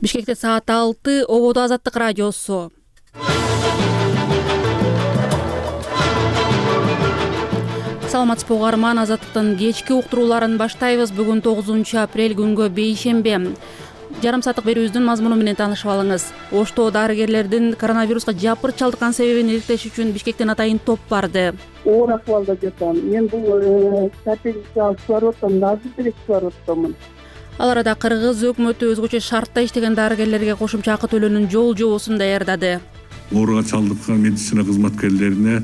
Бишкекте саат 6, Ободо Азаттык радиосу. Саламатсызбы угарман, Азаттыктын кечки уктурууларын баштайбыз. Бүгүн 9 апрель күнгө бейшембе. Жарым сааттык берүүбүздүн мазмуну менен таанышып алыңыз. Ошто дарыгерлердин коронавируска жапыр чалдыккан себебин иликтеш үчүн Бишкектен атайын топ барды. Оор акыбалда жатам. Мен бул статистикага чыгарып атам, назыр деле чыгарып атамын. Ал арада Кыргыз өкмөтү өзгөчө шартта иштеген дарыгерлерге кошумча акы төлөөнүн жол жобосун даярдады. Ооруга чалдыккан медицина кызматкерлерине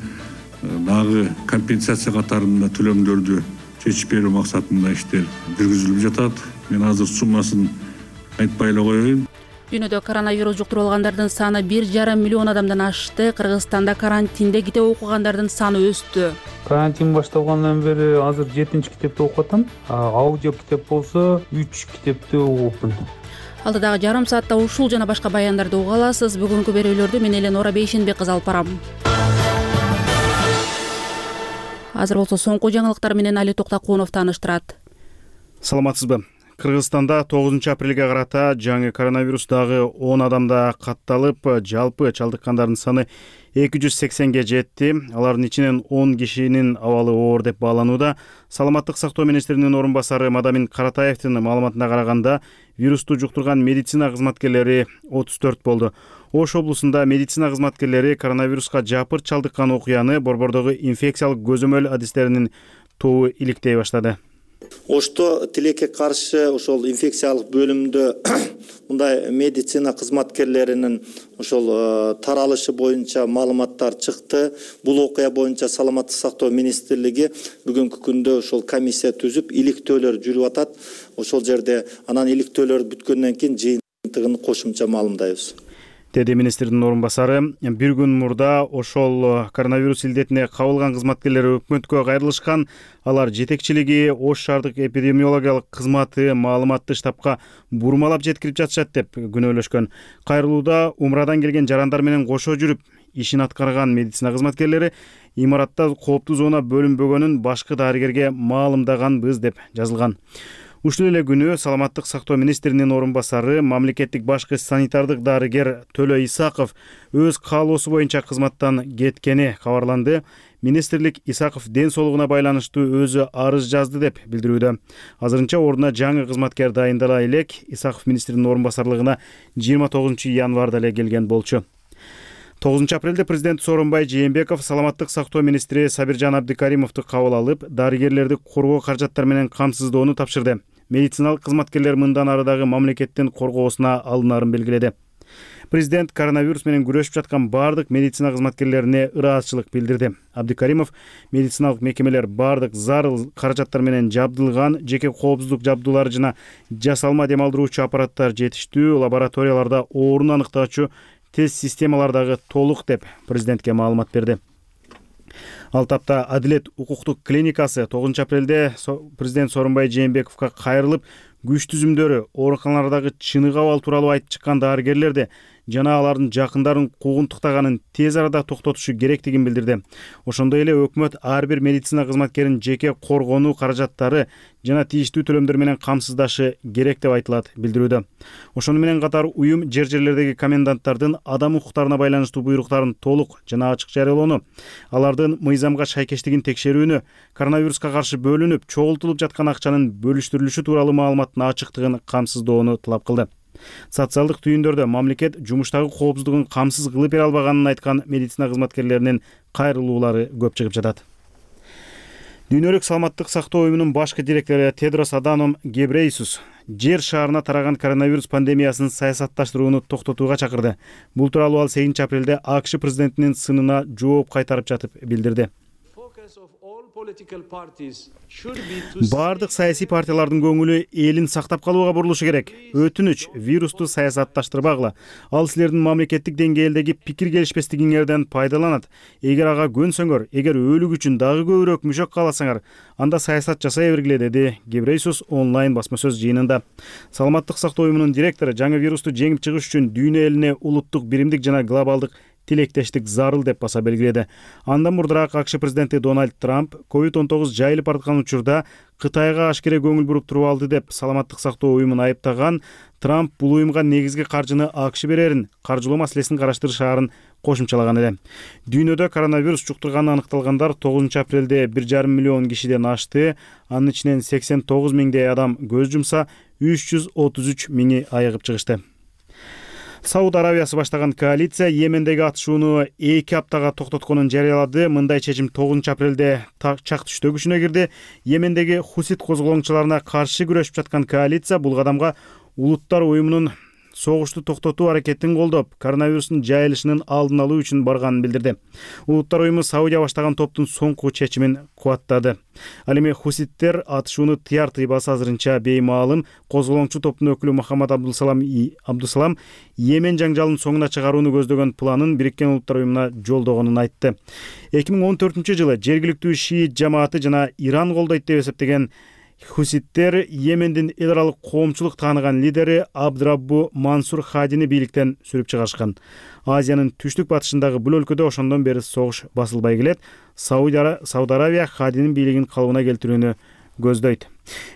дагы компенсация катарында төлөмдөрдү чечип берүү максатында иштер жүргүзүлүп жатат. Мен азыр суммасын айтпай эле коеюн. Дүйнөдө коронавирус жуктуруп алгандардын саны 1,5 миллион адамдан ашты. Кыргызстанда карантинде китеп окугандардын саны өстү. Карантин башталгандан бери азыр 7-чи китепти окуп атам. Аудио китеп болсо 3 китепти окупмун. Алдыдагы жарым саатта ушул жана башка баяндарды уга аласыз. Бүгүнкү берүүлөрдү мен Эленора Бейшенбек кызы алып барам. Азыр болсо соңку жаңылыктар менен Али Токтакунов тааныштырат. Саламатсызбы? Кыргызстанда 9 апрелге карата жаңы коронавирус дагы 10 адамда катталып, жалпы чалдыккандардын саны 280ге жетти. Алардын ичинен 10 кишинин абалы оор деп бааланууда. Саламаттык сактоо министринин орун басары Мадамин Каратаевдин маалыматына караганда, вирусту жуктурган медицина кызматкерлери 34 болду. Ош облусунда медицина кызматкерлери коронавируска жапыр чалдыккан окуяны борбордогу инфекциялык көзөмөл адистеринин тобу иликтей баштады. Ошто тилекке каршы ошол инфекциялык бөлүмдө мындай медицина кызматкерлеринин ошол таралышы боюнча маалыматтар чыкты. Бул окуя боюнча Саламаттык сактоо министрлиги бүгүнкү күндө ошол комиссия түзүп, иликтөөлөр жүрүп атат. Ошол жерде анан иликтөөлөр бүткөндөн кийин жыйынтыгын кошумча маалымдайбыз, деди министрдин орун басары. Бир күн мурда ошол коронавирус илдетине кабылган кызматкерлер өкмөткө кайрылышкан. Алар жетекчилиги Ош шаардык эпидемиологиялык кызматы маалыматты штабка бурмалап жеткирип жатышат деп күнөөлөшкөн. Кайрылууда умрадан келген жарандар менен кошо жүрүп ишин аткарган медицина кызматкерлери имаратта кооптуу зона бөлүнбөгөнүн башкы дарыгерге маалымдаганбыз деп жазылган. Ушул эле күнү Саламаттык сактоо министринин орун басары мамлекеттик башкы санитардык дарыгер Төлө Исаков өз каалоосу боюнча кызматтан кеткени кабарланды. Министрлик Исаков ден соолугуна байланыштуу өзү арыз жазды деп билдирүүдө. Азырынча ордуна жаңы кызматкер дайындала элек. Исаков министринин орун басарлыгына 29 январда эле келген болчу. 9 апрелде президент Сооронбай Жээнбеков Саламаттык сактоо министри Сабиржан Абдикаримовду кабыл алып, дарыгерлерди коргоо каражаттар менен камсыздоону тапшырды. Медициналык кызматкерлер мындан ары дагы мамлекеттин коргоосуна алынарын белгиледи. Президент коронавирус менен күрөшүп жаткан бардык медицина кызматкерлерине ыраазычылык билдирди. Абдикаримов медициналык мекемелер бардык зарыл каражаттар менен жабдылган, жеке коопсуздук жабдуулары жана жасалма демалдыруучу аппараттар жетиштүү, лабораторияларда оорууну аныктаачу тест системалар дагы толук деп президентке маалымат берди. Ал тапта Адилет укуктук клиникасы 9 апрелде президент Сооронбай Жээнбековго кайрылып, күч түзүмдөрү, ооруканалардагы чыныгы абал тууралуу айтып чыккан дарыгерлерди жана алардын жакындарын куугунтуктаганын тез арада токтотушу керектигин билдирди. Ошондой эле өкмөт ар бир медицина кызматкерин жеке коргонуу каражаттары жана тийиштүү төлөмдөр менен камсыздашы керек деп айтылат билдирүүдө. Ошону менен катар уюм жерлердеги коменданттардын адам укуктарына байланыштуу буйруктарын толук жана ачык жарыялоону, алардын мыйзамга шайкештигин текшерүүнү, коронавируска каршы бөлүнүп, чогултулуп жаткан акчанын бөлүштүрүлүшү тууралуу маалыматтын ачыктыгын камсыздоону талап кылды. Социалдык түйүндөрдө мамлекет жумуштагы коопсуздугун камсыз кылып бере албаганын айткан медицина кызматкерлеринин кайрылуулары көп чыгып жатат. Дүйнөлүк саламаттык сактоо уюмунун башкы директору Тедрос Аданом Гебрейсус жер шаарына тараган коронавирус пандемиясын саясатташтырууну токтотууга чакырды. Бул тууралуу ал 8 апрелде АКШ президентинин сынына жооп кайтарып жатып билдирди. Бардык саясий партиялардын көңүлү элин сактап калууга бурулушу керек. Өтүнүч, вирусту саясатташтырбагыла. Ал силердин мамлекеттик деңгээлдеги пикир келишпестигиңерден пайдаланат. Эгер ага көнсөңөр, эгер өлүк үчүн дагы көбүрөөк мүшөк кааласаңар, анда саясат жасай бергиле, деди Гебрейсус онлайн басма сөз жыйынында. Саламаттык сактоо уюмунун директору жаңы вирусту жеңип чыгыш үчүн дүйнө элине улуттук биримдик жана глобалдык тилектештик зарыл деп баса белгиледи. Андан мурдараак АКШ президенти Дональд Трамп COVID-19 жайылып бараткан учурда Кытайга ашкере көңүл буруп туруп алды деп саламаттык сактоо уюмун айыптаган. Трамп бул уюмга негизги каржыны АКШ берерин, каржылоо маселесин караштырышаарын кошумчалаган эле. Дүйнөдө коронавирус жуктурганы аныкталгандар 9 апрелде 1,5 миллион кишиден ашты. Анын ичинен 89 миңдей адам көз жумса, 333 миңи айыгып чыгышты. Сауд Арабиясы баштаган коалиция Йемендеги атышууну 2 аптага токтотконун жарыялады. Мындай чечим 9 апрелде чак түштө күчүнө кирди. Йемендеги хусит козголоңчуларына каршы күрөшүп жаткан коалиция бул кадамга Улуттар уюмунун согушту токтотуу аракетин колдоп, коронавирустун жайылышынын алдын алуу үчүн барганын билдирди. Улуттар уюму Саудия баштаган топтун соңку чечимин кубаттады. Ал эми хуситтер атышууну тыяр тыйбасы азырынча беймаалым. Козголоңчу топтун өкүлү Мухаммад Абдусалам Йемен жаңжалын соңуна чыгарууну көздөгөн планын Бириккен Улуттар уюмуна жолдогонун айтты. 2014-жылы жергиликтүү шиит жамааты жана Иран колдойт деп эсептеген хуситтер Йемендин эл аралык коомчулук тааныган лидери Абдраббу Мансур Хадини бийликтен сүрүп чыгарышкан. Азиянын түштүк батышындагы бул өлкөдө ошондон бери согуш басылбай келет. Сауд Арабия Хадинин бийлигин калыбына келтирүүнү көздөйт.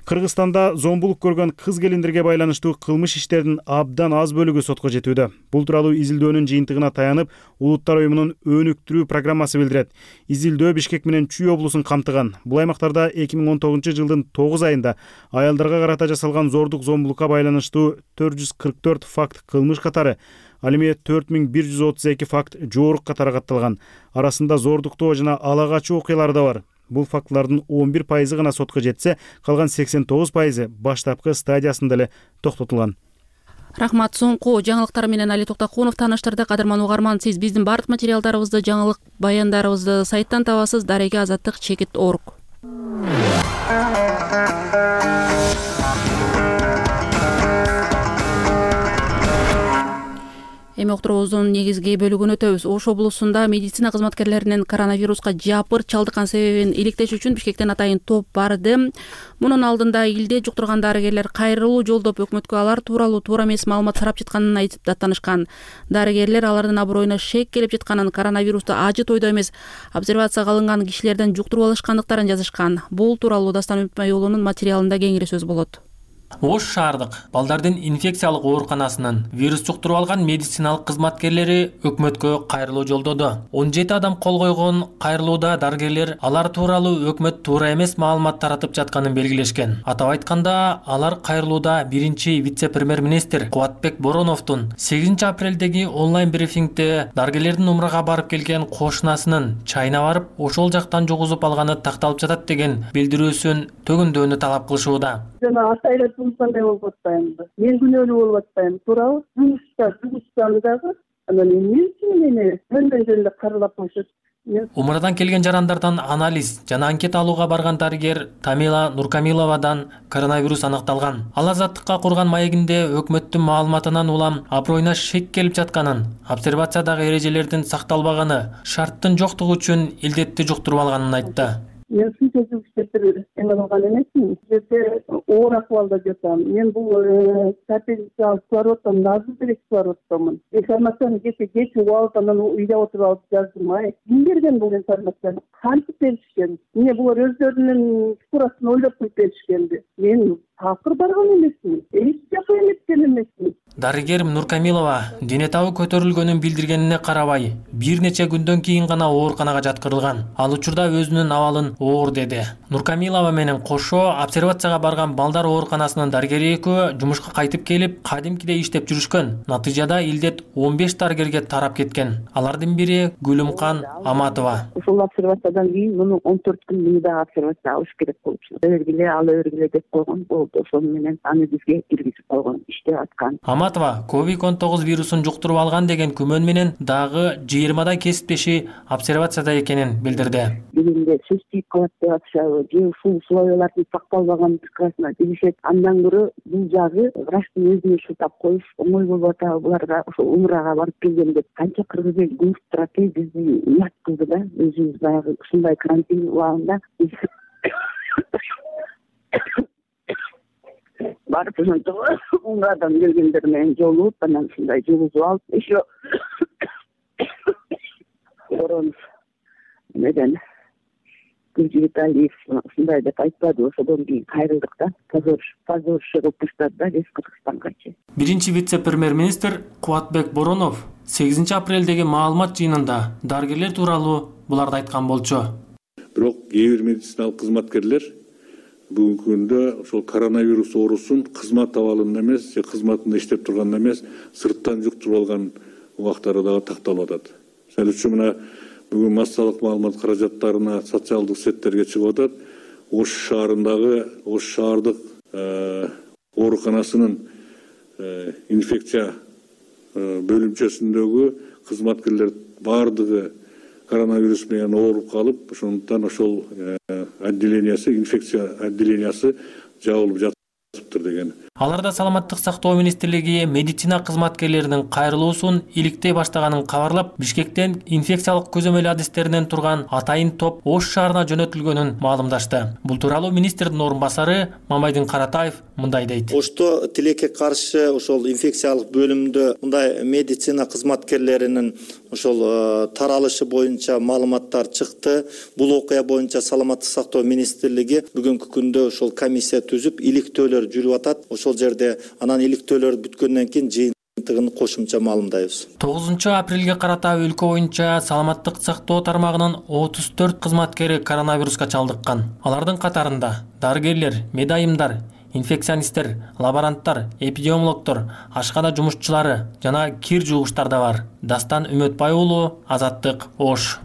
Кыргызстанда зомбулук көргөн кыз келиндерге байланыштуу кылмыш иштеринин абдан аз бөлүгү сотко жетүүдө. Бул тууралуу изилдөөнүн жыйынтыгына таянып, Улуттар уюмунун өнүктүрүү программасы билдирет. Изилдөө Бишкек менен Чүй облусун камтыган. Бул аймактарда 2019-жылдын 9 айында аялдарга карата жасалган зордук зомбулукка байланыштуу 444 факт кылмыш катары, ал эми 4132 факт жоорук катары катталган. Арасында зордуктоо жана ала качуу окуялары да бар. Бул фактылардын 11% гана сотко жетсе, калган 89% баштапкы стадиясында эле токтотулган. Рахмат. Соңку жаңылыктар менен Али Токтокунов тааныштырды. Кадырман угарман, сиз биздин бардык материалдарыбызды, жаңылык баяндарыбызды сайттан табасыз. Дареге Азаттык Чекит.org. Эми уктуруубуздун негизги бөлүгүнө өтөбүз. Ош облусунда медицина кызматкерлеринин коронавируска жапыр чалдыккан себебин иликтеш үчүн Бишкектен атайын топ барды. Мунун алдында илде жуктурган дарыгерлер кайрылуу жолдоп өкмөткө алар тууралуу туура эмес маалымат тарап жатканын айтып даттанышкан. Дарыгерлер алардын аброюна шек келип жатканын, коронавирусту ажы тойдо эмес, обсервацияга алынган кишилерден жуктуруп алышкандыктарын жазышкан. Бул тууралуу Дастан Үмүтмайулунун материалында кеңири сөз болот. Ош шаардык балдардын инфекциялык ооруканасынын вирус жуктуруп алган медициналык кызматкерлери өкмөткө кайрылуу жолдоду. 17 адам кол койгон кайрылууда дарыгерлер алар тууралуу өкмөт туура эмес маалымат таратып жатканын белгилешкен. Атап айтканда, алар кайрылууда биринчи вице-премьер-министр Кубатбек Бороновдун 8 апрелдеги онлайн брифингде дарыгерлердин умрага барып келген кошунасынын чайына барып, ошол жактан жугузуп алганы такталып жатат деген билдирүүсүн төгүндөөнү талап кылышууда. Кандай болуп атпаймынбы? Мен күнөөлүү болуп атпаймын. Туурабы? Жугуштаны дагы анан эмне үчүн мени мындай жерде каралап коюшат? Умрадан келген жарандардан анализ жана анкета алууга барган дарыгер Тамила Нуркамиловадан коронавирус аныкталган. Ал Азаттыкка курган маегинде өкмөттүн маалыматынан улам аброюна шек келип жатканын, обсервациядагы эрежелердин сакталбаганы, шарттын жоктугу үчүн илдетти жуктуруп алганын айтты. Мен сүйсөзүк иштеп эме кылган эмесмин. Жерде оор акыбалда жатам. Мен бул статистика алып атам, Назарбек алып атамын. Информацияны кеч угуп анан үйдө отуруп алып жаздым. Ким берген бул информацияны? Кантип беришкен? Эмне булар өздөрүнүн турасын ойлоп коюп беришкенди? Мен такыр барган эмесмин. Эч жакка эметкен эмесмин. Дарыгер Нуркамилова дене табы көтөрүлгөнүн билдиргенине карабай, бир нече күндөн кийин гана ооруканага жаткырылган. Ал учурда өзүнүн абалын оор деди. Нуркамилова менен кошо обсервацияга барган балдар ооруканасынын дарыгери экөө жумушка кайтып келип, кадимкидей иштеп жүрүшкөн. Натыйжада илдет 15 дарыгерге тарап кеткен. Алардын бири Гүлүмкан Аматова. Ушул обсервациядан кийин муну 14 күн муну да обсервация алыш керек болчу. Өлгүлө деп койгон болду. Ошол менен аны бизге киргизип койгон, иштеп аткан. Аматова COVID-19 вирусун жуктуруп алган деген күмөн менен дагы 20 кесиптеши обсервацияда экенин билдирди. Биринде сөз тийип калат деп атышабы, же ушул условиялардын сакталбаганына дешет. Андан көрө бул жагы врачтын өзүнө шылтап коюш оңой болуп атабы буларга, ошол умрага барып келген деп канча кыргыз эл күмүш турат, бизди уят кылды да. Өзүбүз баягы ушундай карантин убагында барып ошентип умрадан келгендер менен жолугуп, анан ушундай жугузуп алып, еще Боронов менен Гүлжи Витальев ушундай деп айтпады, ошодон кийин кайрылдык да, позорище кылып таштады да Вест Кыргызстанчы. Биринчи вице-премьер-министр Кубатбек Боронов 8 апрелдеги маалымат жыйынында дарыгерлер тууралуу буларды айткан болчу. Бирок кээ бир медициналык кызматкерлер бүгүнкү күндө ошол коронавирус оорусун кызмат абалында эмес, же кызматында иштеп турганда эмес, сырттан жуктуруп алган убактары дагы такталып атат. Мисалы үчүн мына бүгүн массалык маалымат каражаттарына социалдык сеттерге чыгып атат. Ош шаарындагы Ош шаардык ооруканасынын инфекция бөлүмчөсүндөгү кызматкерлер баардыгы коронавирус менен ооруп калып, ошондуктан ошол инфекция отделениясы жабылып жатыптыр деген. Аларда саламаттык сактоо министрлиги медицина кызматкерлеринин кайрылуусун иликтей баштаганын кабарлап, Бишкектен инфекциялык көзөмөл адистеринен турган атайын топ Ош шаарына жөнөтүлгөнүн маалымдашты. Бул тууралуу министрдин орун басары Мамайдын Каратаев мындай дейт. Ошто тилекке каршы ошол инфекциялык бөлүмдө мындай медицина кызматкерлеринин ошол таралышы боюнча маалыматтар чыкты. Бул окуя боюнча саламаттык сактоо министрлиги бүгүнкү күндө ошол комиссия түзүп, иликтөөлөр жүрүп атат. Ошол жерде анан иликтөөлөр бүткөндөн кийин жыйынтыгын кошумча маалымдайбыз. 9 апрелге карата өлкө боюнча саламаттык сактоо тармагынын 34 кызматкери коронавируска чалдыккан. Алардын катарында дарыгерлер, медайымдар, инфекционисттер, лаборанттар, эпидемиологдор, ашкана жумушчулары жана кир жуугучтар да бар. Дастан Үмөтбай уулу, Азаттык, Ош.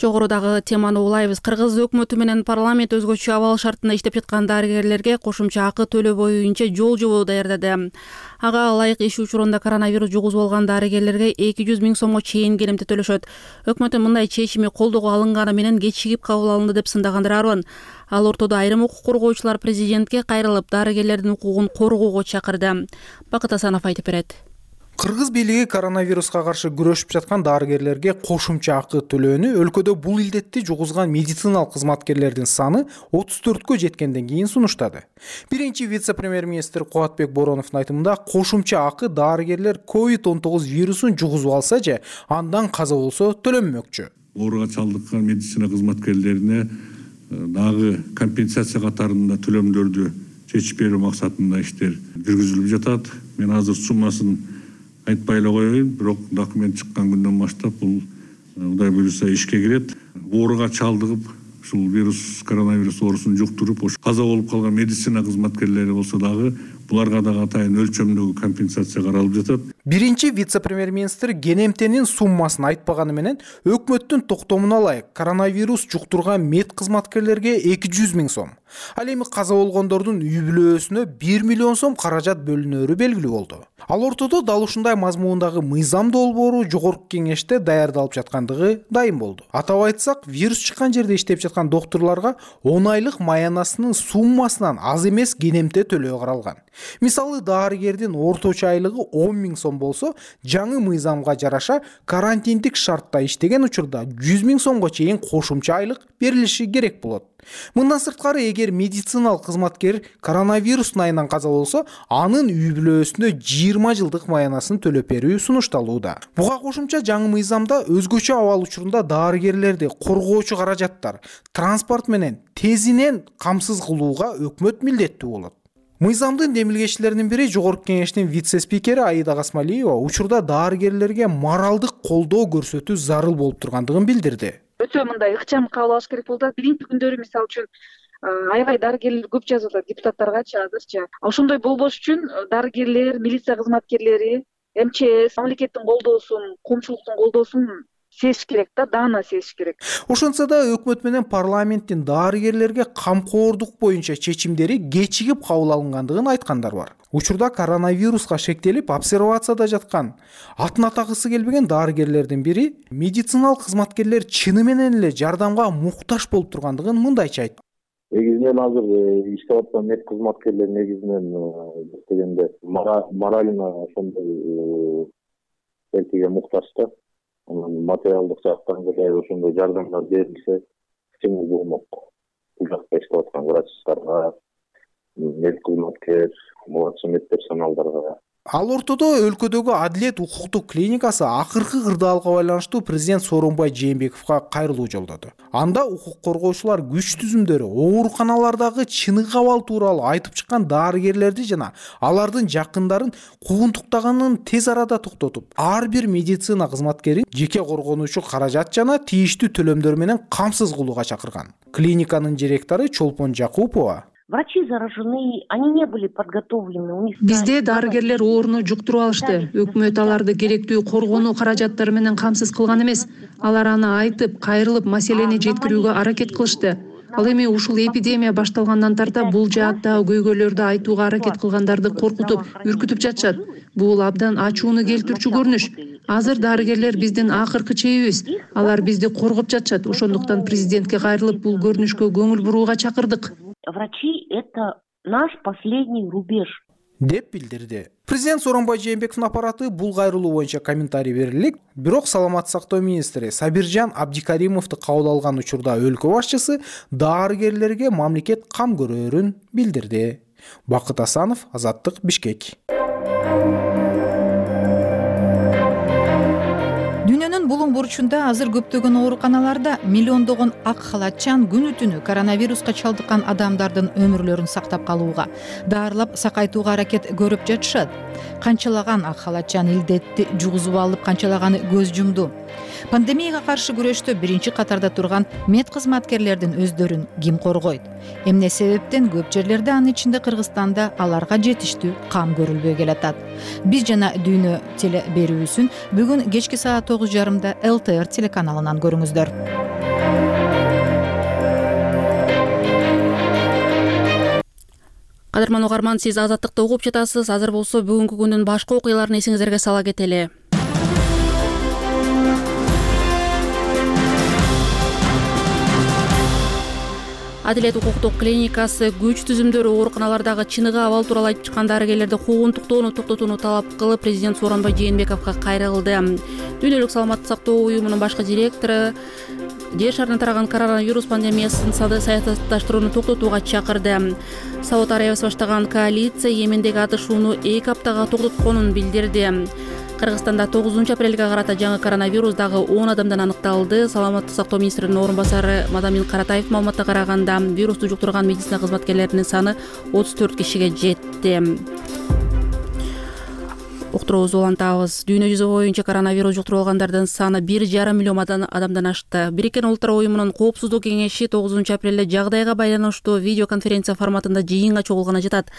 Жогорудагы теманы улайбыз. Кыргыз өкмөтү менен парламент өзгөчө абал шартында иштеп жаткан дарыгерлерге кошумча акы төлөө боюнча жол жобо даярдады. Ага ылайык иш учурунда коронавирус жугузуп алган дарыгерлерге 200 000 сомго чейин келемте төлөшөт. Өкмөттүн мындай чечими колдоого алынганы менен кечигип кабыл алынды деп сындагандыр Арбан. Ал ортодо айрым укук коргоочулар президентке кайрылып, дарыгерлердин укугун коргоого чакырды. Бакыт Асанов айтып берет. Кыргыз бийлиги коронавируска каршы күрөшүп жаткан дарыгерлерге кошумча акы төлөөнү өлкөдө бул илдетти жугузган медициналык кызматкерлердин саны 34кө жеткенден кийин сунуштады. Биринчи вице-премьер-министр Кубатбек Бороновдун айтымында кошумча акы дарыгерлер COVID-19 вирусун жугузуп алса же андан каза болсо төлөнмөкчү. Ооруга чалдыккан медицина кызматкерлерине дагы компенсация катарында төлөмдөрдү чечип берүү максатында иштер жүргүзүлүп жатат. Мен азыр суммасын айтпай эле коеюн, бирок документ чыккан күндөн баштап бул Кудай буюрса ишке кирет. Ооруга чалдыгып, ушул коронавирус оорусун жуктуруп, каза болуп калган медицина кызматкерлери болсо дагы буларга дагы атайын өлчөмдөгү компенсация каралып жатат. Биринчи вице-премьер-министр кенемтенин суммасын айтпаганы менен өкмөттүн токтомуна ылайык коронавирус жуктурган мед кызматкерлерге 200 000 сом, ал эми каза болгондордун үй бүлөсүнө 1 миллион сом каражат бөлүнөрү белгилүү болду. Ал ортодо дал ушундай мазмундагы мыйзам долбоору жогорку кеңеште даярдалып жаткандыгы дайым болду. Атап айтсак, вирус чыккан жерде иштеп жаткан доктурларга 10 айлык маянасынын суммасынан аз эмес кенемте төлөө каралган. Мисалы, дарыгердин орточо айлыгы 10 000 сом болсо, жаңы мыйзамга жараша карантиндик шартта иштеген учурда 100 000 сомго чейин кошумча айлык берилиши керек болот. Мындан сырткары, эгер медициналык кызматкер коронавирус айынан каза болсо, анын үй бүлөсүнө 20 жылдык маянасын төлөп берүү сунушталууда. Буга кошумча жаңы мыйзамда өзгөчө абал учурунда дарыгерлерди коргоочу каражаттар, транспорт менен тезинен камсыз кылууга өкмөт милдеттүү болот. Мыйзамдын демилгечилеринин бири жогорку кеңештин вице-спикери Аида Гасмалиева учурда дарыгерлерге моралдык колдоо көрсөтүү зарыл болуп тургандыгын билдирди. Өтө мындай ыкчам кабыл алыш керек болду. Биринчи күндөрү мисалы үчүн аябай дарыгерлер көп жазып атат депутаттаргачы азырчы. Ошондой болбош үчүн дарыгерлер, милиция кызматкерлери, МЧС, мамлекеттин колдоосун, коомчулуктун колдоосун сезиш керек да, даана сезиш керек. Ошонсо да өкмөт менен парламенттин дарыгерлерге камкордук боюнча чечимдери кечигип кабыл алынгандыгын айткандар бар. Учурда коронавируска шектелип обсервацияда жаткан, атын атагысы келбеген дарыгерлердин бири медициналык кызматкерлер чыны менен эле жардамга муктаж болуп тургандыгын мындайча айтты. Негизинен азыр иштеп аткан мед кызматкерлер негизинен дегенде морально ошондой эркиге муктаж да. Материалдык жактан ошондой жардамдар берилсе кичине болмок. бул жакта иштеп аткан врачтарга, медкызматкер, младший медперсоналдарга. Ал ортодо өлкөдөгү Адилет укуктук клиникасы акыркы кырдаалга байланыштуу президент Сооронбай Жээнбековго кайрылуу жолдоду. Анда укук коргоочулар күч түзүмдөрү, ооруканалардагы чыныгы абал тууралуу айтып чыккан дарыгерлерди жана алардын жакындарын куугунтуктаганын тез арада токтотуп, ар бир медицина кызматкерин жеке коргонуучу каражат жана тийиштүү төлөмдөр менен камсыз кылууга чакырган. Клиниканын директору Чолпон Жакупова: Врачи заражены, они не были подготовлены. Бизде дарыгерлер ооруну жуктуруп алышты. Өкмөт аларды керектүү коргонуу каражаттары менен камсыз кылган эмес. Алар аны айтып, кайрылып, маселени жеткирүүгө аракет кылышты. Ал эми ушул эпидемия башталгандан тарта бул жааттагы көйгөйлөрдү айтууга аракет кылгандарды коркутуп, үркүтүп жатышат. Бул абдан ачууну келтирчү көрүнүш. Азыр дарыгерлер биздин акыркы чебибиз. Алар бизди коргоп жатышат. Ошондуктан президентке кайрылып бул көрүнүшкө көңүл бурууга чакырдык. Врачи — это наш последний рубеж. Деп билдирди. Президент Сооронбай Жээнбековдун аппараты бул кайрылуу боюнча комментарий берилик. Бирок саламаттык сактоо министри Сабиржан Абдикаримовду кабыл алган учурда өлкө башчысы дарыгерлерге мамлекет кам көрөрүн билдирди. Бакыт Асанов, Азаттык, Бишкек. Дүйнөнүн булуң бурчунда азыр көптөгөн ооруканаларда миллиондогон ак халатчан күнү-түнү коронавируска чалдыккан адамдардын өмүрлөрүн сактап калууга, даарылап сакайтууга аракет көрүп жатышат. Канчалаган ак халатчан илдетти жугузуп алып, канчалаганы көз жумду. Пандемияга каршы күрөштө биринчи катарда турган мед кызматкерлердин өздөрүн ким коргойт? Эмне себептен көп жерлерде, анын ичинде Кыргызстанда, аларга жетиштүү кам көрүлбөй келатат? Биз жана Дүйнө теле берүүсүн бүгүн кечки саат 9:30 ЛТР телеканалынан көрүңүздөр. Кадырман угарман, сиз Азаттыкты угуп жатасыз. Азыр болсо бүгүнкү күндүн башка окуяларын эсиңиздерге сала кетели. Адилет укуктук клиникасы күч түзүмдөрү ооруканалардагы чыныгы абал тууралуу айтып чыккан дарыгерлерди куугунтуктоону токтотууну талап кылып, президент Сооронбай Жээнбековго кайрылды. Дүйнөлүк саламаттык сактоо уюмунун башкы директору жер шарына тараган коронавирус пандемиясын саясатташтырууну токтотууга чакырды. Сауд Арабиясы баштаган коалиция Йемендеги атышууну 2 аптага токтотконун билдирди. Кыргызстанда 9 апрелге карата жаңы коронавирус дагы 10 адамдан аныкталды. Саламаттык сактоо министринин орун басары Мадамин Каратаев маалыматка караганда, вирусту жуктурган медицина кызматкерлеринин саны 34 кишиге жетти. Уктуруубузду улантабыз. Дүйнө жүзү боюнча коронавирус жуктуруп алгандардын саны 1,5 миллион адамдан ашты. Бириккен Улуттар уюмунун коопсуздук кеңеши 9 апрелде жагдайга байланыштуу видеоконференция форматында жыйынга чогулганы жатат.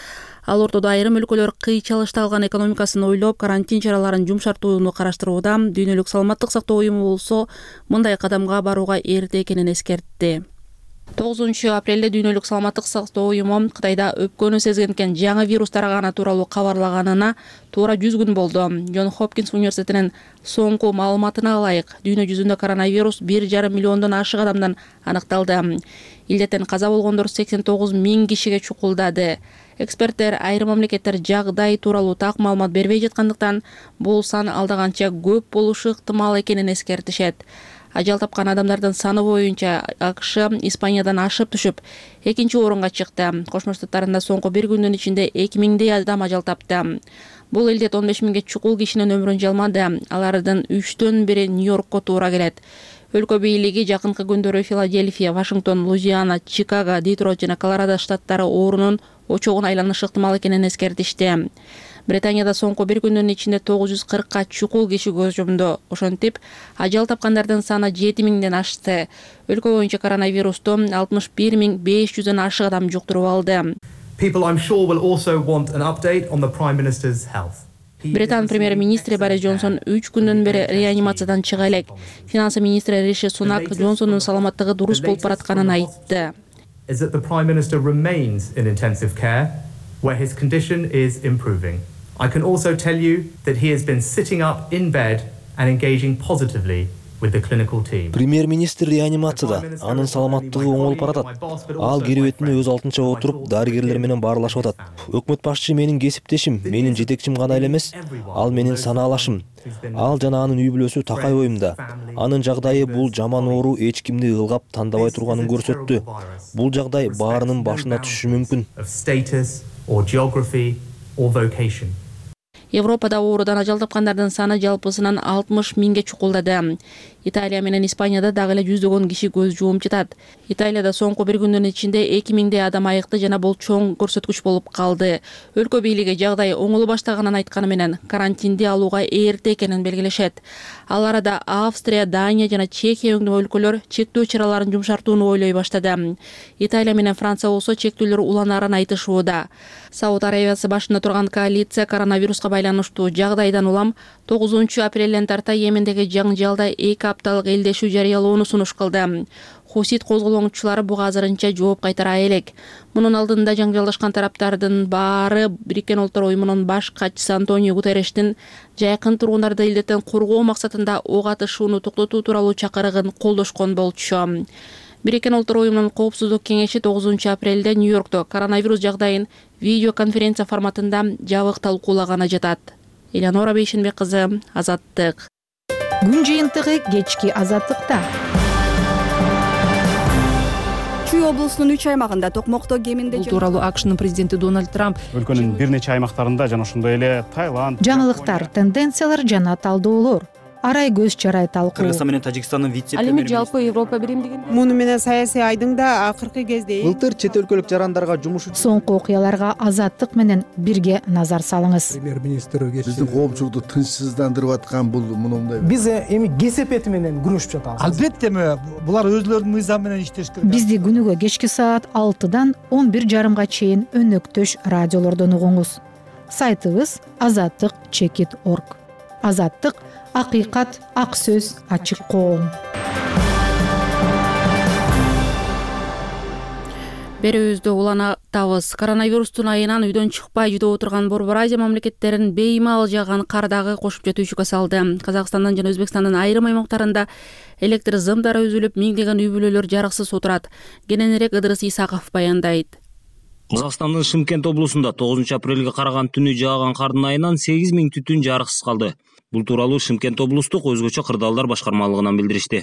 Ал ортодо айрым өлкөлөр кыйчалышта калган экономикасын ойлоп, карантин чараларын жумшартууну караштырууда. Дүйнөлүк саламаттык сактоо уюму болсо мындай кадамга барууга эрте экенин эскертти. 9 апрелде Дүйнөлүк саламаттык сактоо уюму Кытайда өпкөнү сезген жаңы вирус тараганы тууралуу кабарлаганына туура 100 күн болду. Джон Хопкинс университетинин соңку маалыматына ылайык, дүйнө жүзүндө коронавирус 1,5 миллиондон ашык адамдан аныкталды. Илдеттен каза болгондор 89 миң кишиге чукулдады. Эксперттер айрым мамлекеттер жагдай тууралуу так маалымат бербей жаткандыктан, бул сан алдаганча көп болушу ыктымал экенин эскертишет. Ажал тапкан адамдардын саны боюнча АКШ Испаниядан ашып түшүп, 2-орунга чыкты. Кошмо Штаттарында соңку бир күндүн ичинде 2000 адам ажал тапты. Бул илдет 15 миңге чукул кишинин өмүрүн жалмады. Алардын 3төн бири Нью-Йоркко туура келет. Өлкө бийлиги жакынкы күндөрү Филадельфия, Вашингтон, Луизиана, Чикаго, Детройт жана Колорадо штаттары оорунун очогун айланышы ыктымал экенин эскертишти. Британияда соңку бир күндүн ичинде 940 чукул киши көз жумду. Ошентип, ажал тапкандардын саны 7000ден ашты. Өлкө боюнча коронавирусту 61500дөн ашык адам жуктуруп алды. Британ премьер-министри Борис Джонсон 3 күндөн бери реанимациядан чыга элек. Финансы министри Риши Сунак Джонсондун саламаттыгы дурус болуп баратканын айтты. Where his condition is improving. I can also tell you that he has been sitting up in bed and engaging positively with the clinical team. Премьер-министр реанимацияда, анын саламаттыгы оңолуп баратат. Ал керебетине өз алдынча отуруп, дарыгерлер менен баарлашып атат. Өкмөт башчы менин кесиптешим, менин жетекчим гана эле эмес, ал менин санаалашым. Ал жана анын үй бүлөсү такай оюмда. Анын жагдайы бул жаман оору эч кимди ылгап тандабай турганын көрсөттү. Бул жагдай баарынын башына түшүшү мүмкүн. Европада оорудан ажал тапкандардын саны жалпысынан 60 миңге чукулдады. Италия менен Испанияда дагы эле жүздөгөн киши көз жумуп жатат. Италияда соңку бир күндүн ичинде 2000 адам айыкты жана бул чоң көрсөткүч болуп калды. Өлкө бийлиги жагдай оңоло баштаганын айтканы менен карантинди алууга эрте экенин белгилешет. Ал арада Австрия, Дания жана Чехия өңдүү өлкөлөр чектөө чараларын жумшартууну ойлой баштады. Италия менен Франция болсо чектөөлөр уланарын айтышууда. Сауд Арабиясы башында турган коалиция коронавируска байланыштуу жагдайдан улам 9 апрелден тарта Йемендеги жаңжалда 2 апталык элдешүү жарыялоону сунуш кылды. Хусит козголоңчулары буга азырынча жооп кайтара элек. Мунун алдында жаңжалдашкан тараптардын баары Бириккен Улуттар Уюмунун баш катчысы Антонио Гутеррештин жайкын тургундарды илдеттен коргоо максатында ок атышууну токтотуу тууралуу чакырыгын колдошкон болчу. Бириккен Улуттар Уюмунун коопсуздук кеңеши 9 апрелде Нью-Йоркто коронавирус жагдайын видеоконференция форматында жабык талкуулаганы жатат. Элеонора Бейшенбек кызы, Азаттык. Күн жыйынтыгы кечки Азаттыкта. Чүй облусунун 3 аймагында токмокто кеминде бул тууралуу АКШнын президенти Дональд Трамп өлкөнүн бир нече аймактарында жана ошондой эле Таиланд, жаңылыктар, тенденциялар жана талдоолор, арай көз чарай талкуу. Кыргызстан менен Тажикстандын вице-премьери жалпы Европа биримдигин муну менен саясий айдыңда акыркы кезде былтыр чет өлкөлүк жарандарга жумуш үчүн соңку окуяларга Азаттык менен бирге назар салыңыз. Премьер-министр биздин коомчулукту тынчсыздандырып аткан бул мындай. Биз эми кесепети менен күрөшүп жатабыз. Албетте булар өзлөрүнүн мыйзамы менен иштеш керек. Бизди күнүгө кечки саат 6-дан 11:30 чейин өнөктөш радиолордон угуңуз. Сайтыбыз azattik.org. Азаттык — акыйкат, ак сөз, ачык коом. Берүүбүздө уланатабыз. Коронавирустун айынан үйдөн чыкпай жүдөп отурган Борбор Азия мамлекеттерин беймал жаган кардагы кошумча түйшүккө салды. Казакстандын жана Өзбекстандын айрым аймактарында электр зымдары үзүлүп, миңдеген үй бүлөлөр жарыксыз отурат. Кененирээк Ыдырыс Исаков баяндайт. Казакстандын Шымкент облусунда 9 апрелге караган түнү жааган кардын айынан 8 миң түтүн жарыксыз калды. Бул тууралуу Шымкент облустук өзгөчө кырдаалдар башкармалыгынан билдиришти.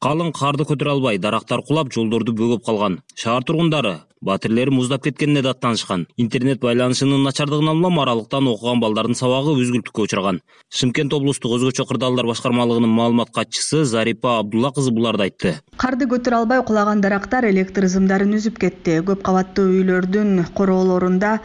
Калың карды көтөрө албай, дарактар кулап, жолдорду бөгөп калган. Шаар тургундары батирлери муздап кеткенине даттанышкан. Интернет байланышынын начардыгынан улам аралыктан окуган балдардын сабагы үзгүлтүккө учураган. Шымкент облустук өзгөчө кырдаалдар башкармалыгынын маалымат катчысы Зарипа Абдулла кызы буларды айтты. Карды көтөрө албай кулаган дарактар электр зымдарын үзүп кетти. Көп кабаттуу үйлөрдүн короолорунда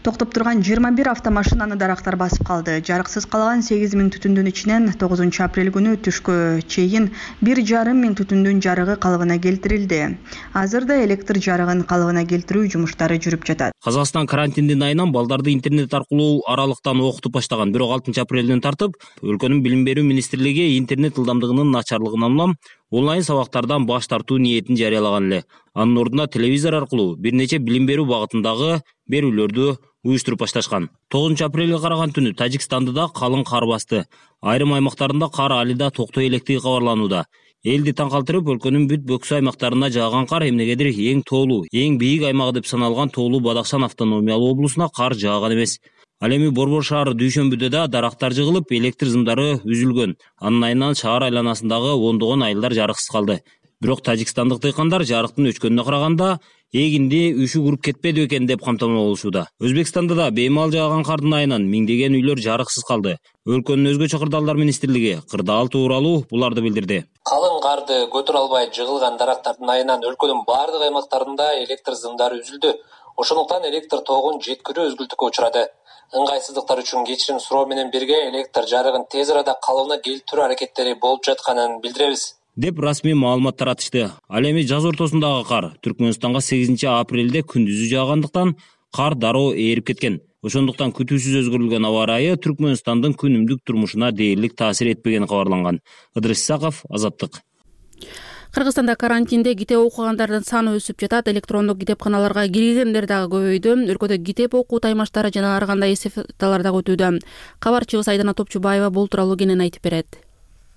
токтоп турган 21 автомашинаны дарактар басып калды. Жарыксыз калган 8 миң түтүндүн ичинен 9 апрель күнү түшкө чейин 1,5 миң түтүндүн жарыгы калыбына келтирилди. Азырда электр жарыгын калыбына келтирүү жумуштары жүрүп жатат. Казакстан карантиндин айынан балдарды интернет аркылуу аралыктан окутуп баштаган. Бирок 6 апрелден тартып өлкөнүн билим берүү министрлиги интернет ылдамдыгынын начарлыгынан улам онлайн сабактардан баш тартуу ниетин жарыялаган эле. Анын ордуна телевизор аркылуу бир нече билим берүү багытындагы берүүлөрдү уюштуруп башташкан. 9 апрелге караган түнү Тажикстанды да калың кар басты. Айрым аймактарында кар али да токтой электиги кабарланууда. Элди таң калтырып, өлкөнүн бүт бөксө аймактарына жааган кар эмнегедир эң тоолуу, эң бийик аймагы деп саналган тоолуу Бадахшан автономиялуу облусуна кар жааган эмес. Ал эми Борбор шаары дүйшөмбүдө да дарактар жыгылып, электр зымдары үзүлгөн. Анын айынан шаар айланасындагы ондогон айылдар жарыксыз калды. Бирок тажикстандык дыйкандар жарыктын өчкөнүнө караганда эгинди үшү куруп кетпеди экен деп камтамаа болушууда. Өзбекстанда да беймал жааган кардын айынан миңдеген үйлөр жарыксыз калды. Өлкөнүн өзгөчө кырдаалдар министрлиги кырдаал тууралуу буларды билдирди. Калың карды көтөрө албай жыгылган дарактардын айынан өлкөнүн бардык аймактарында электр зымдары үзүлдү. Ошондуктан электр тогун жеткирүү өзгүлтүккө учурады. Ыңгайсыздыктар үчүн кечирим суроо менен бирге электр жарыгын тез арада калыбына келтирүү аракеттери болуп жатканын билдиребиз деп расмий маалымат таратышты. Ал эми жаз ортосундагы кар Түркмөнстанга 8 апрелде күндүзү жаагандыктан кар дароо ээрип кеткен. Ошондуктан күтүүсүз өзгөрүлгөн аба ырайы Түркмөнстандын күнүмдүк турмушуна дээрлик таасир этпегени кабарланган. Ыдырыс Исаков, Азаттык. Кыргызстанда карантинде китеп окугандардын саны өсүп жатат. Электрондук китепканаларга киргендер дагы көбөйдү. Өлкөдө китеп окуу таймаштары жана ар кандай эстафеталар дагы өтүүдө. Кабарчыбыз Айдана Топчубаева бул тууралуу кенен айтып берет.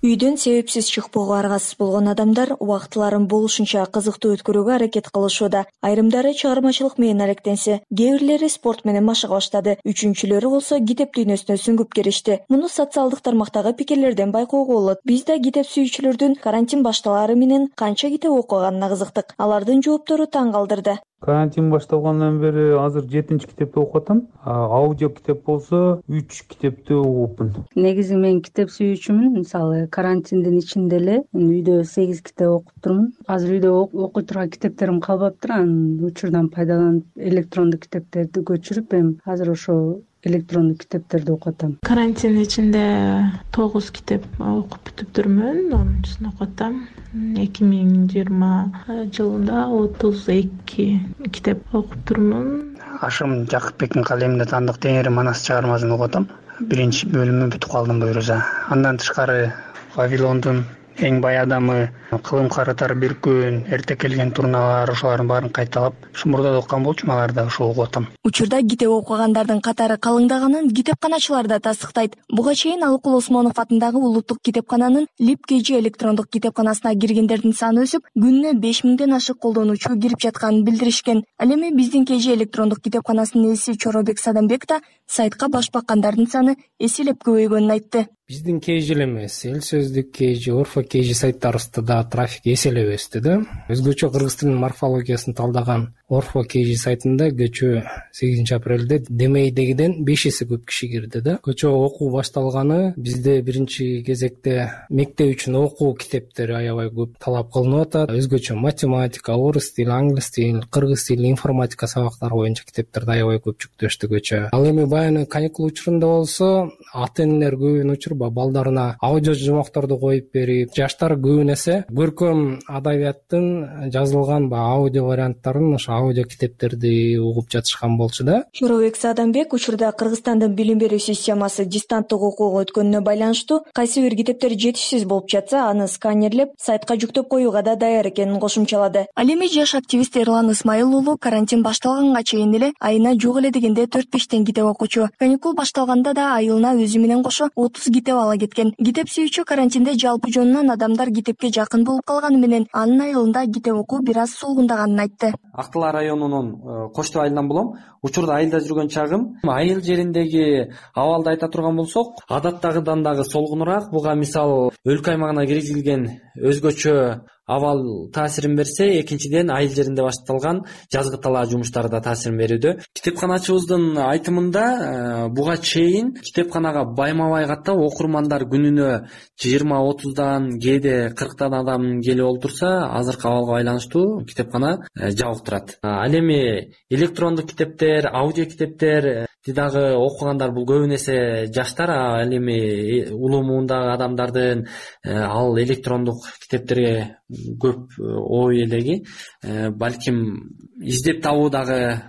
Үйдөн себепсиз чыкпоого аргасыз болгон адамдар убактыларын болушунча кызыктуу өткөрүүгө аракет кылышууда. Айрымдары чыгармачылык менен алектенсе, кээ бирлери спорт менен машыга баштады. Үчүнчүлөрү болсо китеп дүйнөсүнө сүңгүп киришти. Муну социалдык тармактагы пикирлерден байкоого болот. Биз да китеп сүйүүчүлөрдүн карантин башталары менен канча китеп окуганына кызыктык. Алардын жооптору таң калдырды. Карантин башталгандан бери азыр 7-чи китепти окуп атам. Аудио китеп болсо 3 китепти окупмун. Негизи мен китеп сүйүүчүмүн. Мисалы, карантиндин ичинде эле үйдө 8 китеп окуп турмун. Азыр үйдө окуй турган китептерим калбаптыр. Анын учурдан пайдаланып электрондук китептерди көчүрүп, эми азыр ошо электрондук китептерди окуп атам. Карантин ичинде 9 китеп окуп бүтүптүрмүн. 10-чусун окуп атам. 2020 жылында 32 китеп окуп турмун. Ашым Жакыпбектин калеминде таандык Теңири Манас чыгармасын окуп атам. 1-бөлүмү бүтүп калдым буюрса. Андан тышкары Вавилондун эң бай адамы, кылым карытар бир күн, эрте келген турналар, ошолардын баарын кайталап, мурда да окуган болчумун, аларды ошол окуп атам. Учурда китеп окугандардын катары калыңдаганын китепканачылар да тастыктайт. Буга чейин Алыкул Осмонов атындагы улуттук китепкананын Лип-Кежи электрондук китепканасына киргендердин саны өсүп, күнүнө 5000ден ашык колдонуучу кирип жатканын билдиришкен. Ал эми биздин Кежи электрондук китепканасынын ээси Чоробек Садамбек да сайтка баш баккандардын саны эселеп көбөйгөнүн айтты. Биздин Кежи эле эмес, Эл сөздүк Кежи, Орфо Кежи сайттарыбызда да трафик эселеп өстү да. Өзгөчө кыргыз тилинин морфологиясын талдаган Орфо Кежи сайтында кечээ 8 апрелде демейдегиден 5 эсе көп киши кирди да. Кечээ окуу башталганы бизде биринчи кезекте мектеп үчүн окуу китептери аябай көп талап кылынып атат. Өзгөчө математика, орус тили, англис тили, кыргыз тили, информатика сабактары боюнча китептерди аябай көп жүктөштү кечээ. Ал эми баягы каникул учурунда болсо ата-энелер көбүн учурба балдарына аудио жумакторду коюп берип, жаштар көбүн эсе көркөм адабияттын жазылган аудио варианттарын, ошо аудио китептерди угуп жатышкан болчу да. Чоробек Садамбек учурда Кыргызстандын билим берүү системасы дистанттык окууга өткөнүнө байланыштуу кайсы бир китептер жетишсиз болуп жатса, аны сканерлеп, сайтка жүктөп коюуга да даяр экенин кошумчалады. Ал эми жаш активист Эрлан Исмайыл уулу карантин башталганга чейин эле айына жок эле дегенде 4-5 китеп окучу. Каникул башталганда да айылына өзү менен кошо 30 китеп ала кеткен. Китеп сүйүүчү карантинде жалпы жонунан адамдар китепке жакын болуп калганы менен анын айылында китеп окуу бир аз сулгундаганын айтты. Актылар районунун Коштоо айылынан болом. Учурда айылда жүргөн чагым, айыл жериндеги абалды айта турган болсок, адаттагыдан дагы солгунураак. Буга мисал өлкө аймагына киргизилген өзгөчө абал таасирин берсе, экинчиден айыл жеринде башталган жазгы талаа жумуштары да таасирин берүүдө. Китепканачыбыздын айтымында буга чейин китепканага байма-бай каттап окурмандар күнүнө 20-30дан, кээде 40тан адам келип олтурса, азыркы абалга байланыштуу китепкана жабык турат. Ал эми электрондук китептер, аудио китептер дагы окугандар бул көбүн эсе жаштар. Ал эми улуу муундагы адамдардын ал электрондук китептерге көп ой элеги, балким издеп табуудагы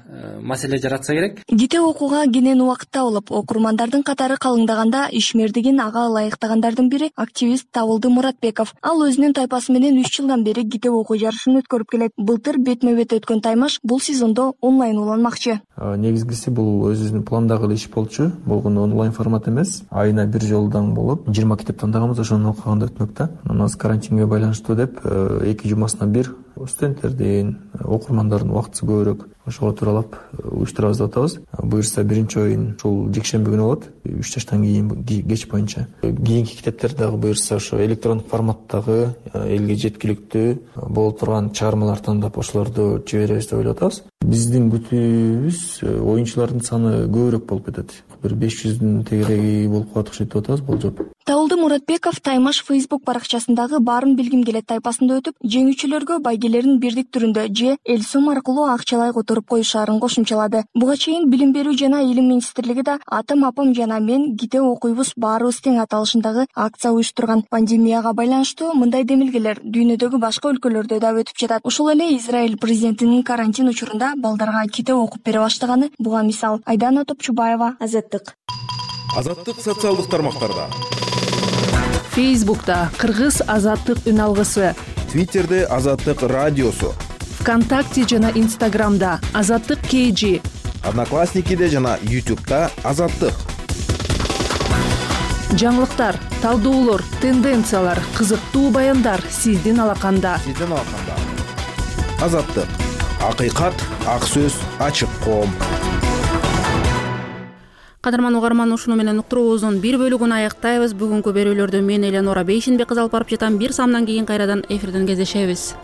маселе жаратса керек. Китеп окууга кенен убакытта болуп, окурмандардын катары калыңдаганда ишмердигин ага ылайыктагандардын бири активист Табылды Муратбеков. Ал өзүнүн тайпасы менен 3 жылдан бери китеп окуу жарышын өткөрүп келет. Былтыр бетме-бет өткөн Таймаш бул сезондо онлайн уланмакчы. Негизгиси бул өзүбүздүн пландагы иш болчу. Болгону онлайн формат эмес. Айына бир жолдан болуп, 20 китеп тандаганбыз, ошону окуганда өтмөк да. Анан карантинге байланыштуу деп 2 жумасына бир студенттердин, окурмандардын убактысы көбүрөөк ошого тууралап уюштурабыз деп атабыз. Буюрса биринчи оюн ушул жекшемби күнү болот, 3 жаштан кийин кеч боюнча. Кийинки китептер дагы буюрса ошо электрондук форматтагы элге жеткиликтүү боло турган чыгармалар тандап ошолорду жиберебиз деп ойлоп атабыз. Биздин күтүүбүз оюнчулардын саны көбүрөөк болуп кетет. Бир 500дүн тегереги болуп калат окшойт деп атабыз болжоп. Табылды Муратбеков Таймаш Facebook баракчасындагы баарын билгим келет тайпасында өтүп, жеңүүчүлөргө байгелерин бирдик түрүндө же Элсум аркылуу акчалай которуп коюшаарын кошумчалады. Буга чейин Билим берүү жана Илим министрлиги да атам апам жана мен китеп окуйбуз баарыбыз тең аталышындагы акция уюштурган. Пандемияга байланыштуу мындай демилгелер дүйнөдөгү башка өлкөлөрдө да өтүп жатат. Ошол эле Израиль президентинин карантин учурунда балдарга китеп окуп бере баштаганы буга мисал. Айдана Топчубаева, Азаттык. Азаттык социалдык тармактарда. Фейсбукта Кыргыз Азаттык үн алгысы, Твиттерде Азаттык радиосу, ВКонтакте жана Инстаграмда Азаттык KG, Одноклассникиде жана YouTube'да Азаттык. Жаңылыктар, талдоолор, тенденциялар, кызыктуу баяндар сиздин алаканда. Азаттык. Акыйкат, ак сөз, ачык коом. Кадырман угарман, ушуну менен уктуруубуздун бир бөлүгүн аяктайбыз. Бүгүнкү берүүлөрдө мен Эленора Бейшенбек кызы алып барып жатам. Бир самдан кийин кайрадан эфирден кездешебиз.